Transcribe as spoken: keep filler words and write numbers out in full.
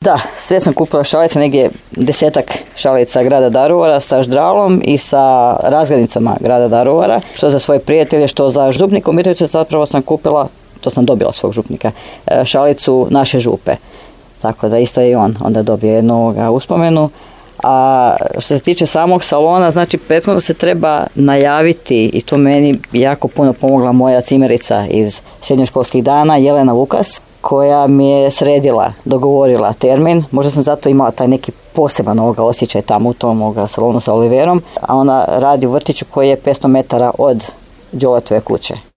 Da, sve sam kupila šalice, negdje desetak šalica grada Daruvara sa ždralom i sa razglednicama grada Daruvara, što za svoje prijatelje, što za župnika u Mitrovici. Zapravo sam kupila, to sam dobila svog župnika, šalicu naše župe. Tako da isto je i on onda dobije jednu uspomenu. A što se tiče samog salona, znači prethodno se treba najaviti i to meni jako puno pomogla moja cimerica iz srednjoškolskih dana, Jelena Vukas, koja mi je sredila, dogovorila termin. Možda sam zato imala taj neki poseban ovoga osjećaj tamo u tom ovoga salonu sa Oliverom, a ona radi u vrtiću koji je petsto metara od Đoletove kuće.